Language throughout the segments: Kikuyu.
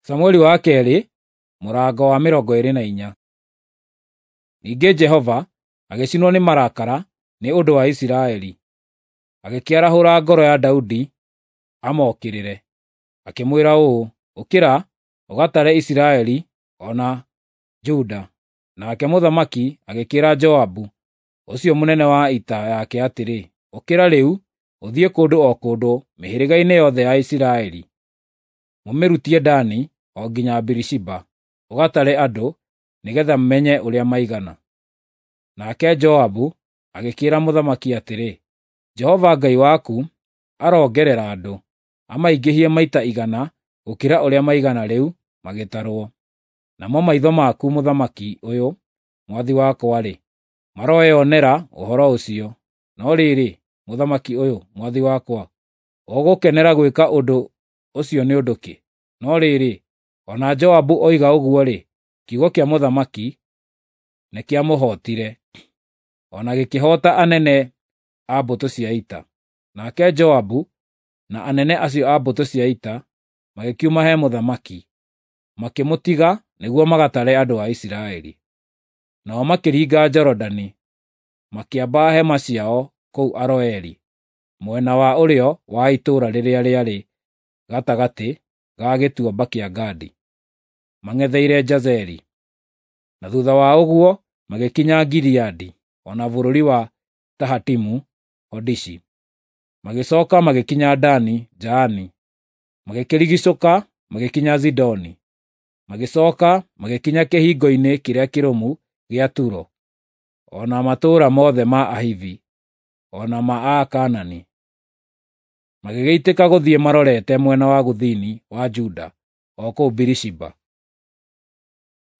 Samueli wa kerĩ mũrango wa 24. Ningĩ Jehova agĩcinwo nĩ marakara nĩ ũndũ wa Isiraeli, agĩkĩarahũra ngoro ya Daudi amokĩrĩre, akĩmwĩra ũũ, “Ũkĩra ũgatare Isiraeli o na Juda.” Nake mũthamaki agĩkĩĩra Joabu ũcio mũnene wa ita yake atĩrĩ, “Ũkĩra rĩu ũthiĩ kũndũ o kũndũ mĩhĩrĩga-inĩ yothe ya Isiraeli, mũmĩrutie Dani o nginya Birishiba, ũgatare andũ, nĩgeetha menye ũrĩa maigana.” Nake Joabu agĩkĩĩra mũthamaki atĩrĩ, “Jehova Ngai waku arongerera andũ, amaingĩhie maita 100 gũkĩra ũrĩa maigana rĩu magĩtarwo. Namo maitho maku mũthamaki ũyũ, mwathi wakwa-rĩ, maroyonera ũhoro ũcio. No rĩrĩ, mũthamaki ũyũ, mwathi wakwa, ũgũkenera gwĩka ũndũ ũcio nĩ ũndũ kĩ?” No rĩrĩ, o na Joabu oiga ũguo-rĩ, kiugo kĩa mũthamaki nĩkĩamũhootire, o na gĩkĩhoota anene a mbũtũ cia ita. Nake Joabu na anene acio a mbũtũ cia ita magĩkiuma he mũthamaki, makĩmũtiga nĩguo magatare andũ a Isiraeli. Nao makĩringa Jorodani, makĩamba hema ciao kũu Aroeri, mwena wa ũrĩo wa itũũra rĩrĩa rĩarĩ gatagatĩ ga gĩtuamba kĩa Gadi, mang'etheire Jazeri. Na thuutha wa ũguo magĩkinya Gileadi o na bũrũri wa Tahatimu-Hodishi. Magĩcooka magĩkinya Dani Jaani, magĩkĩrigiicũka magĩkinya Zidoni, magĩcooka magĩkinya kĩhingo-inĩ kĩrĩa kĩrũmu gĩa Turo, o na matũũra mothe ma Ahivi o na ma Akaanani. Magĩgĩitĩka gũthiĩ marorete mwena wa gũthini wa Juda o kũu Birishiba.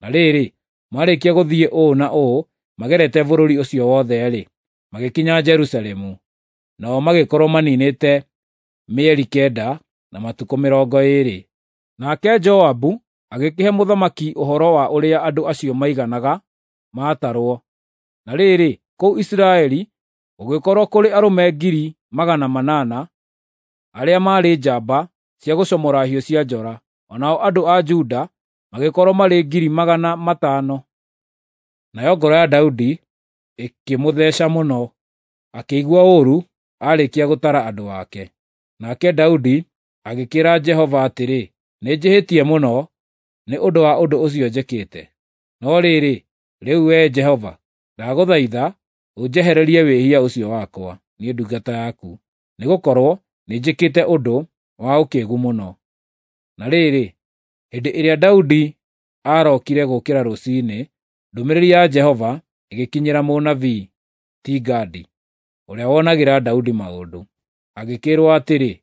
Na rĩrĩ, maarĩkia gũthiĩ ũũ na ũũ magerete bũrũri ũcio wothe-rĩ, magĩkinya Jerusalemu. Nao magĩkorwo maniinĩte mĩeri 9 na matukũ 20. Nake Joabu agĩkĩhe mũthamaki ũhoro wa ũrĩa andũ acio maiganaga maatarwo. Na rĩrĩ, kũu Isiraeli gũgĩkorwo kũrĩ arũme 800,000 arĩa maarĩ njamba cia gũcomora hiũ cia njora, o nao andũ a Juda magĩkorwo marĩ 500,000. Nayo ngoro ya Daudi ĩkĩmũtheeca mũno, akĩigua ũũru aarĩkia gũtara andũ ake. Nake Daudi agĩkĩĩra Jehova atĩrĩ, “Nĩnjĩhĩtie mũno nĩ ũndũ wa ũndũ ũcio njĩkĩte. No rĩrĩ, rĩu Wee Jehova, ndagũthaitha ũnjehererie wĩhia ũcio wakwa, niĩ ndungata yaku, nĩgũkorwo nĩnjĩkĩte ũndũ wa ũkĩĩgu mũno.” Na rĩrĩ, hĩndĩ ĩrĩa Daudi aarokire gũũkĩra rũciinĩ, ndũmĩrĩri ya Jehova ĩgĩkinyĩra mũnabii ti Gadi, ũrĩa wonagĩra Daudi maũndũ. Agĩkĩĩrwo atĩrĩ,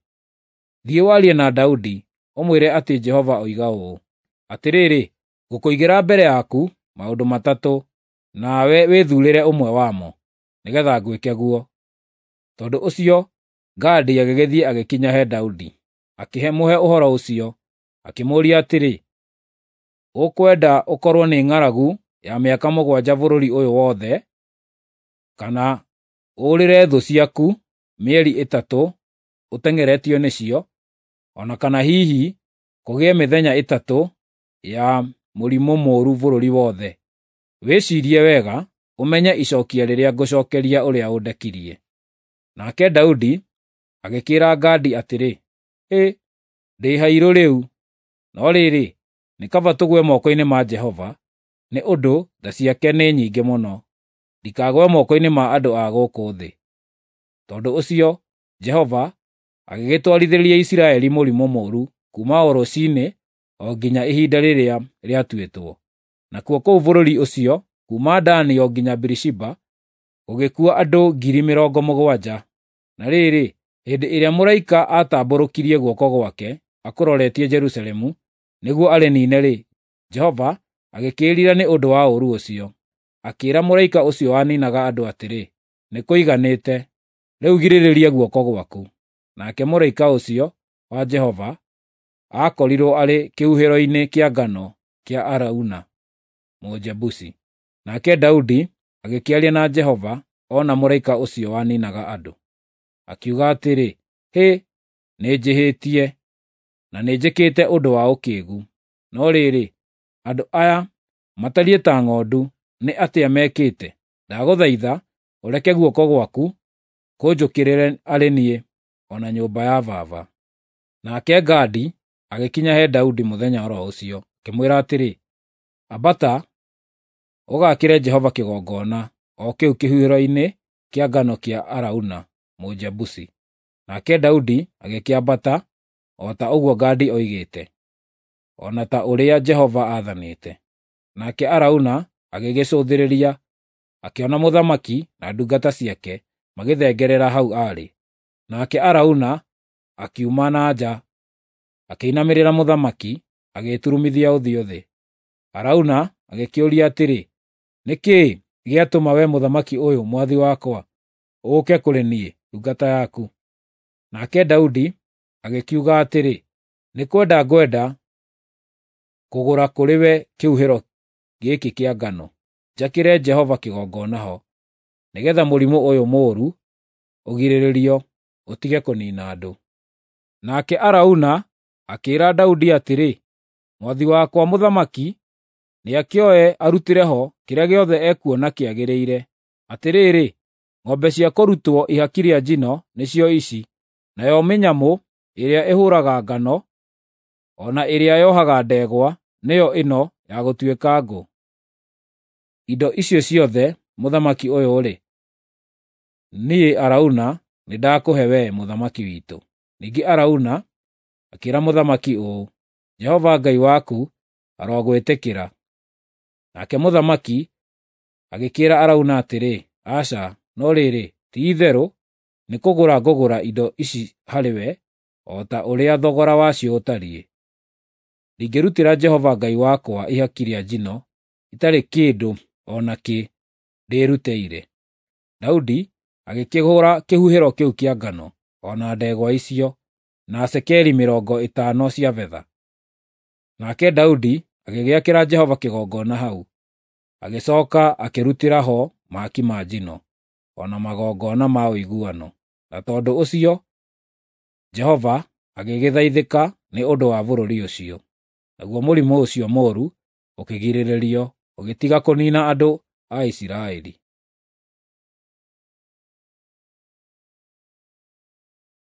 “Thiĩ warie na Daudi, ũmwĩre atĩ Jehova oiga ũũ: Atĩrĩrĩ, ngũkũigĩra mbere yaku maũndũ matatũ, nawe wĩthuurĩre ũmwe wamo, nĩgeetha ngwĩke guo.” Tondũ ũcio Gadi agĩgĩthiĩ agĩkinya he Daudi, akĩmũhe ũhoro ũcio, akĩmũũria atĩrĩ, “Ũkwenda ũkorwo nĩ ng'aragu ya mĩaka 7 bũrũri ũyũ wothe, kana ũũrĩre thũ ciaku mĩeri 3 ũteng'eretio nĩcio, o na kana hihi kũgĩe mĩthenya 3 ya mũrimũ mũũru bũrũri wothe? Wĩciirie wega ũmenye icookia rĩrĩa ngũcookeria ũrĩa ũndekirie.” Nake Daudi agĩkĩĩra Gadi atĩrĩ, “Hĩ, ndĩ hairũ rĩu! No rĩrĩ, nĩ kaba tũgwe moko-inĩ ma Jehova, nĩ ũndũ tha ciake nĩ nyingĩ mũno, ndikagwe moko-inĩ ma andũ a gũkũ thĩ.” Tondũ ũcio Jehova agĩgĩtwarithĩria Isiraeli mũrimũ mũũru kuuma o rũciinĩ o nginya ihinda rĩrĩa rĩatuĩtwo. Nakuo kũu bũrũri ũcio, kuuma Dani o nginya Birishiba, gũgĩkua andũ 70,000. Na rĩrĩ, hĩndĩ ĩrĩa mũraika aatambũrũkirie guoko gwake akũroretie Jerusalemu nĩguo arĩniine-rĩ, Jehova agĩkĩĩrira nĩ ũndũ wa ũũru ũcio. Akĩĩra mũraika ũcio waniinaga andũ atĩrĩ, “Nĩkũiganĩte! Rĩu girĩrĩria guoko gwaku.” Nake mũraika ũcio wa Jehova aakorirwo arĩ kĩhuhĩro-inĩ kĩa ngano kĩa Arauna Mũjebusi. Nake Daudi agĩkĩaria na Jehova oona mũraika ũcio waniinaga andũ. Akiuga atĩrĩ, “Hĩ, nĩnjĩhĩtie, na nĩnjĩkĩte ũndũ wa ũkĩĩgu. No rĩrĩ, andũ aya matariĩ ta ng'ondu, nĩ atĩa mekĩte? Ndagũthaitha ũreke guoko gwaku kũnjũkĩrĩre arĩ niĩ, o na nyũmba ya baba. Nake Gadi agĩkinya he Daudi mũthenya o ro ũcio, akĩmwĩra atĩrĩ, Ambata, ũgaakĩre Jehova kĩgongona, o kĩu kĩhuhĩro-inĩ kĩa ngano kĩa Arauna Mũjebusi. Nake Daudi agĩkĩambata o ta ũguo Gadi oigĩte, o na ta ũrĩa Jehova aathanĩte. Nake Arauna agĩgĩcũthĩrĩria, akĩona mũthamaki na ndungata ciake magĩthengerera hau aarĩ. Nake Arauna akiuma na nja, akĩinamĩrĩra mũthamaki, agĩĩturumithia ũthiũ thĩ. Arauna agĩkĩũria atĩrĩ, Nĩ kĩĩ gĩatũma wee mũthamaki ũyũ mwathi wakwa ũũke kũrĩ niĩ, ndungata yaku? Nake Daudi agĩkiuga atĩrĩ, Nĩ kwenda ngwenda kũgũra kũrĩ we kĩhuhĩro gĩkĩ kĩa ngano, njakĩre Jehova kĩgongona ho, nĩgeetha mũrimũ ũyũ mũũru ũgirĩrĩrio, ũtige kũniina andũ. Nake Arauna akĩĩra Daudi atĩrĩ, Mwathi wakwa mũthamaki nĩakĩoe arutĩre ho kĩrĩa gĩothe ekuona kĩagĩrĩire. Atĩrĩrĩ, ng'ombe cia kũrutwo ihaki rĩa njino nĩcio ici, nayo mĩnyamũ ĩrĩa ĩhũũraga ngano, o na ĩrĩa yohaga ndegwa nĩyo ĩno ya gũtuĩka ngũ. Indo icio ciothe, mũthamaki ũyũ-rĩ, niĩ Arauna nĩndakũhe wee mũthamaki witũ. Ningĩ Arauna akĩĩra mũthamaki ũũ, Jehova Ngai waku arogwĩtĩkĩra. Nake mũthamaki agĩkĩĩra Arauna atĩrĩ, Aca, no rĩrĩ, ti-itherũ nĩkũgũra ngũgũra indo ici harĩwe o ta ũrĩa thogora wacio ũtariĩ. Ndingĩrutĩra Jehova Ngai wakwa ihaki rĩa njino itarĩ kĩndũ o na kĩ ndĩĩrutĩire. Daudi agĩkĩgũra kĩhuhĩro kĩu kĩa ngano, o na ndegwa icio, na cekeri 50 cia betha. Nake Daudi agĩgĩakĩra Jehova kĩgongona hau, agĩcooka akĩrutĩra ho mahaki ma njino, o na magongona ma ũiguano. Na tondũ ũcio Jehova agĩgĩthaithĩka nĩ ũndũ wa bũrũri ũcio. Naguo mũrimũ ũcio mũũru ũkĩgirĩrĩrio, ũgĩtiga kũniina andũ a Isiraeli.